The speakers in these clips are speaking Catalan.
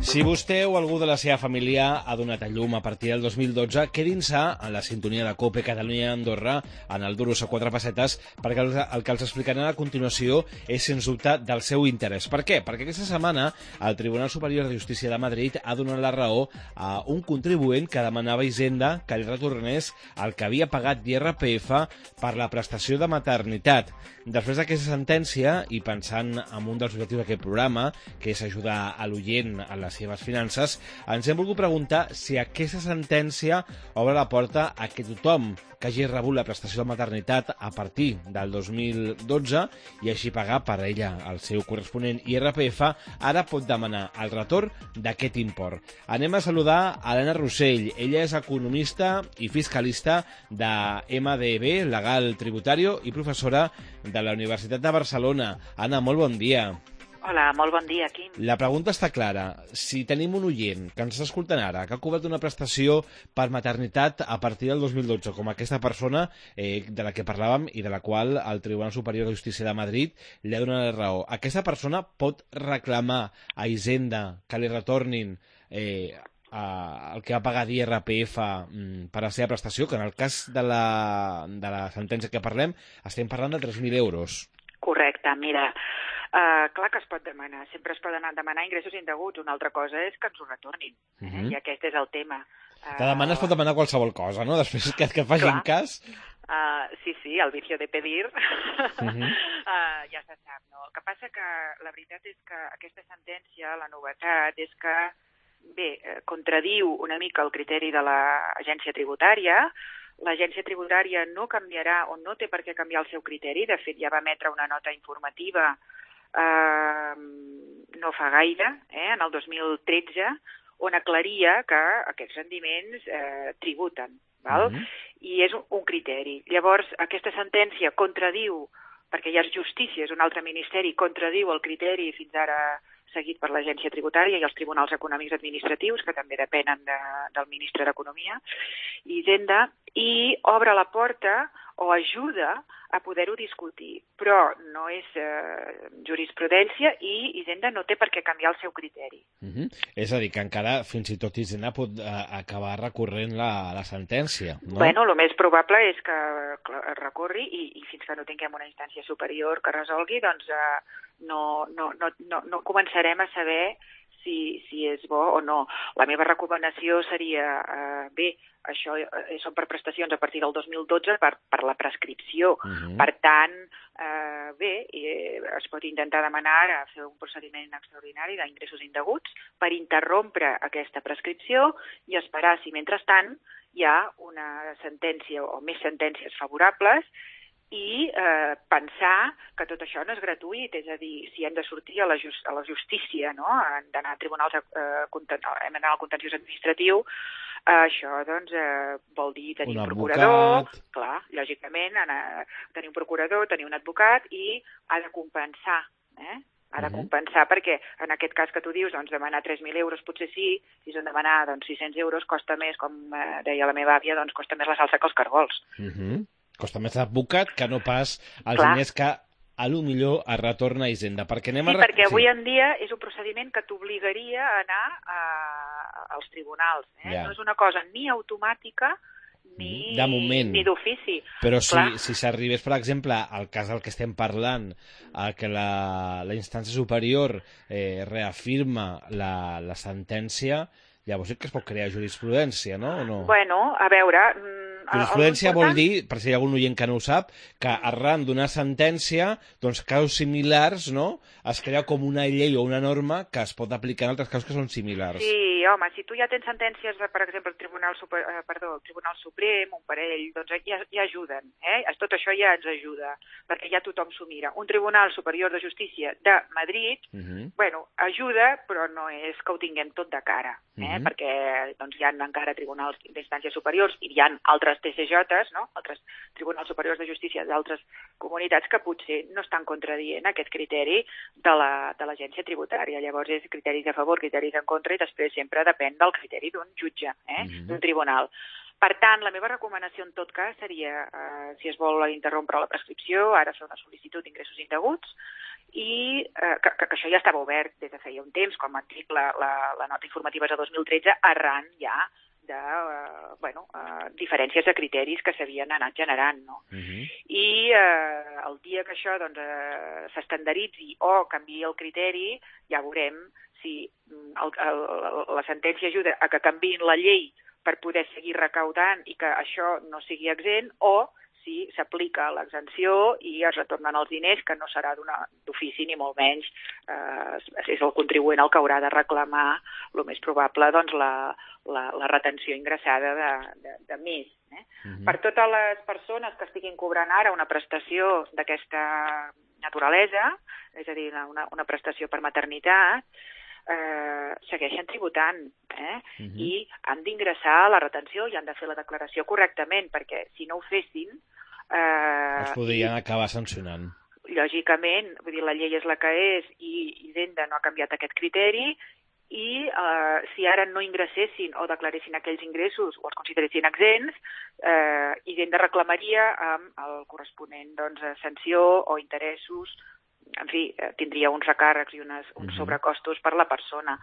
Si vostè o algú de la seva família ha donat a llum a partir del 2012, quedin-se a la sintonia de COPE Catalunya Andorra en el Duros a 4 pessetes, perquè el que els explicaran a continuació és, sens dubte, del seu interès. Per què? Perquè aquesta setmana el Tribunal Superior de Justícia de Madrid ha donat la raó a un contribuent que demanava a Hisenda que li retornés el que havia pagat d'IRPF per la prestació de maternitat. Després d'aquesta sentència, i pensant en un dels objectius d'aquest programa, que és ajudar a l'oient a les seves finances, ens hem volgut preguntar si aquesta sentència obre la porta a que tothom que hagi rebut la prestació de maternitat a partir del 2012 i així pagar per ella el seu corresponent IRPF, ara pot demanar el retorn d'aquest import. Anem a saludar a Elena Rossell. Ella és economista i fiscalista de MDB, Legal Tributario, i professora de la Universitat de Barcelona. Anna, molt bon dia. Hola, molt bon dia, Quim. La pregunta està clara. Si tenim un oient que ens està escoltant ara, que ha cobrat una prestació per maternitat a partir del 2012, com aquesta persona de la que parlàvem i de la qual el Tribunal Superior de Justícia de Madrid li ha donat la raó, aquesta persona pot reclamar a Hisenda que li retornin el que va pagar d'IRPF per la seva prestació, que en el cas de la sentència que parlem estem parlant de 3.000 euros. Correcte, mira, clar que es pot demanar, sempre es poden demanar ingressos indeguts, una altra cosa és que ens ho retornin, i aquest és el tema. Es pot demanar qualsevol cosa, no? Després que facin cas. Sí, el vicio de pedir ja se sap, no? El que passa que la veritat és que aquesta sentència, la novetat, és que, bé, contradiu una mica el criteri de l'agència tributària. L'agència tributària no canviarà o no té per què canviar el seu criteri. De fet, ja va emetre una nota informativa no fa gaire, en el 2013, on aclaria que aquests rendiments tributen, val? I és un criteri. Llavors, aquesta sentència contradiu, perquè ja és justícia, és un altre ministeri, contradiu el criteri fins ara seguit per l'agència tributària i els tribunals econòmics administratius, que també depenen del ministre d'Economia, i Hisenda, i obre la porta o ajuda a poder-ho discutir. Però no és jurisprudència i Hisenda no té per què canviar el seu criteri. És a dir, que encara fins i tot Hisenda pot acabar recorrent la sentència, no? Bueno, el més probable és que recorri i fins que no tinguem una instància superior que resolgui, doncs no començarem a saber si és bo o no. La meva recomanació seria, bé, això són per prestacions a partir del 2012 per la prescripció. Per tant, bé, es pot intentar demanar fer un procediment extraordinari d'ingressos indeguts per interrompre aquesta prescripció i esperar si, mentrestant, hi ha una sentència o més sentències favorables i pensar que tot això no és gratuït, és a dir, si hem de sortir a la justícia, no? Hem d'anar a tribunals, hem d'anar al contenciós administratiu, això doncs vol dir tenir un procurador, clar, lògicament, tenir un procurador, tenir un advocat i ha de compensar, ha de compensar perquè en aquest cas que tu dius, doncs demanar 3.000 euros potser sí, si són demanar 600 euros costa més, com deia la meva àvia, doncs costa més la salsa que els cargols. Costa més l'advocat que no pas els diners que a lo millor es retorna a Hisenda. Perquè perquè avui en dia és un procediment que t'obligaria a anar als tribunals. No és una cosa ni automàtica ni d'ofici. Però si s'arribés, per exemple, al cas del que estem parlant, que la instància superior reafirma la sentència, llavors sí que es pot crear jurisprudència, no? O no? Bueno, a veure... Jurisprudència vol dir, per si hi ha algun oient que no ho sap, que arran d'una sentència, doncs casos similars, no?, es crea com una llei o una norma que es pot aplicar en altres casos que són similars. Sí, home, si tu ja tens sentències, per exemple, el Tribunal Suprem, un parell, doncs ja ajuden, Tot això ja ens ajuda, perquè ja tothom s'ho mira. Un Tribunal Superior de Justícia de Madrid, bueno, ajuda, però no és que ho tinguem tot de cara, perquè doncs, hi ha encara tribunals d'instàncies superiors i hi ha altres TCJs, no? Altres tribunals superiors de justícia d'altres comunitats que potser no estan contradient aquest criteri de l'agència tributària. Llavors és criteris a favor, criteris en contra i després sempre depèn del criteri d'un jutge, d'un tribunal. Per tant, la meva recomanació en tot cas seria, si es vol interrompre la prescripció, ara fer una sol·licitud d'ingressos indeguts, i que això ja estava obert des de feia un temps, com et dic, la nota informativa és de 2013, arran ja de diferències de criteris que s'havien anat generant, no? I el dia que això s'estandaritzi o canviï el criteri, ja veurem si la sentència ajuda a que canviïn la llei per poder seguir recaudant i que això no sigui exempt, o si s'aplica l'exempció i es retornen els diners, que no serà d'ofici ni molt menys. És el contribuent el que haurà de reclamar, el més probable, doncs, la retenció ingressada de més. Per totes les persones que estiguin cobrant ara una prestació d'aquesta naturalesa, és a dir, una prestació per maternitat, segueixen tributant i han d'ingressar la retenció i han de fer la declaració correctament, perquè si no ho fessin... Els podrien acabar sancionant. Lògicament, vull dir, la llei és la que és i Hisenda no ha canviat aquest criteri, i si ara no ingressessin o declaressin aquells ingressos o els consideressin exempts, Hisenda reclamaria amb el corresponent sanció o interessos. En fi, tindria uns recàrrecs i uns sobrecostos per la persona.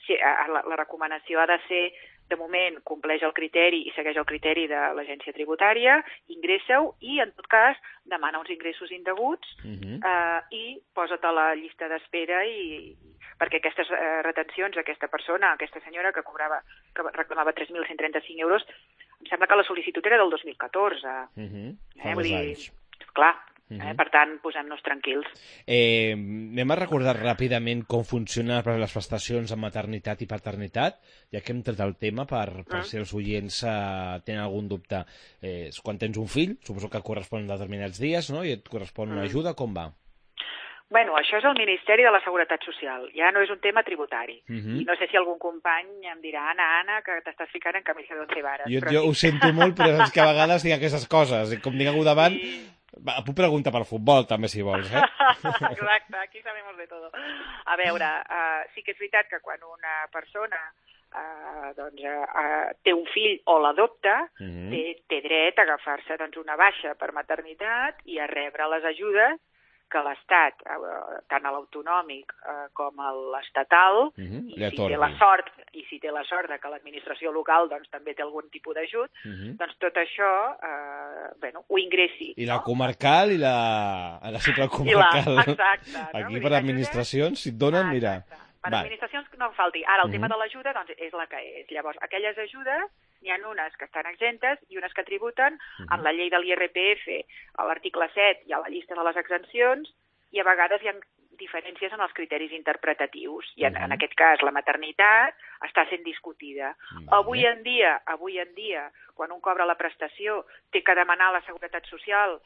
La recomanació ha de ser, de moment, compleix el criteri i segueix el criteri de l'agència tributària, ingressa-ho i, en tot cas, demana uns ingressos indeguts i posa't a la llista d'espera perquè aquestes retencions, aquesta persona, aquesta senyora que reclamava 3.135 euros, em sembla que la sol·licitud era del 2014. Fa 2 anys. Clar. Per tant, posem-nos tranquils. Anem a recordar ràpidament com funcionen les prestacions en maternitat i paternitat, ja que hem tret el tema per si els oients tenen algun dubte. Quan tens un fill, suposo que correspon a determinats dies, no? I et correspon una ajuda, com va? Bueno, això és el Ministeri de la Seguretat Social, ja no és un tema tributari. I no sé si algun company em dirà, Anna, que t'estàs ficant en camisa d'once vares. Jo ho sento molt, però és que a vegades tinc aquestes coses, i com tinc algú davant... Puc preguntar per futbol, també, si vols, Exacte, aquí sabemos de todo. A veure, sí que és veritat que quan una persona té un fill o l'adopta, té dret a agafar-se una baixa per maternitat i a rebre les ajudes que l'Estat, tant a l'autonòmic com a l'estatal, i si té la sort que l'administració local també té algun tipus d'ajut, doncs tot això ho ingressi. I la comarcal i la supracomarcal. Exacte. Aquí per administracions, si et donen, mira... Per administracions no en falti. Ara, el tema de l'ajuda és la que és. Llavors, aquelles ajudes, n'hi ha unes que estan exemptes i unes que tributen amb la llei de l'IRPF, a l'article 7 i a la llista de les exempcions, i a vegades hi ha diferències en els criteris interpretatius. I en aquest cas, la maternitat està sent discutida. Avui en dia, quan un cobra la prestació, té que demanar a la Seguretat Social.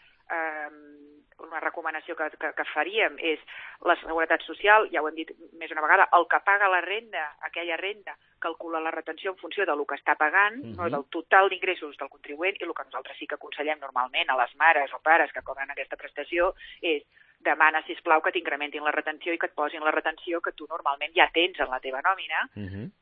Una recomanació que faríem és la Seguretat Social, ja ho hem dit més una vegada, el que paga la renda, aquella renda, calcula la retenció en funció del que està pagant, no del total d'ingressos del contribuent, i el que nosaltres sí que aconsellem normalment a les mares o pares que cobren aquesta prestació és demana, sisplau, que t'incrementin la retenció i que et posin la retenció que tu normalment ja tens en la teva nòmina,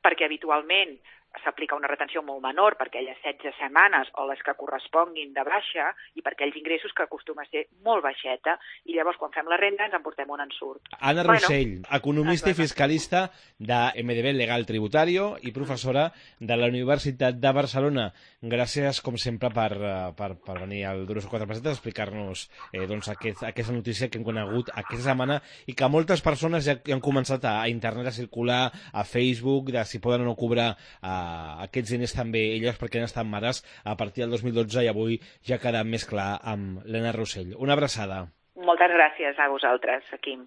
perquè habitualment s'aplica una retenció molt menor per aquelles 16 setmanes o les que corresponguin de baixa i per aquells ingressos que acostuma a ser molt baixeta, i llavors quan fem la renda ens en portem un ensurt. Anna Rossell, economista i fiscalista de MDB Legal Tributario i professora de la Universitat de Barcelona. Gràcies, com sempre, per venir al Duros a 4 pessetes a explicar-nos aquesta notícia que hem conegut aquesta setmana i que moltes persones ja han començat a internet a circular, a Facebook, de si poden o no cobrar aquests diners també elles perquè han estat mares a partir del 2012, i avui ja ha quedat més clar amb l'Anna Rossell. Una abraçada. Moltes gràcies a vosaltres, Quim.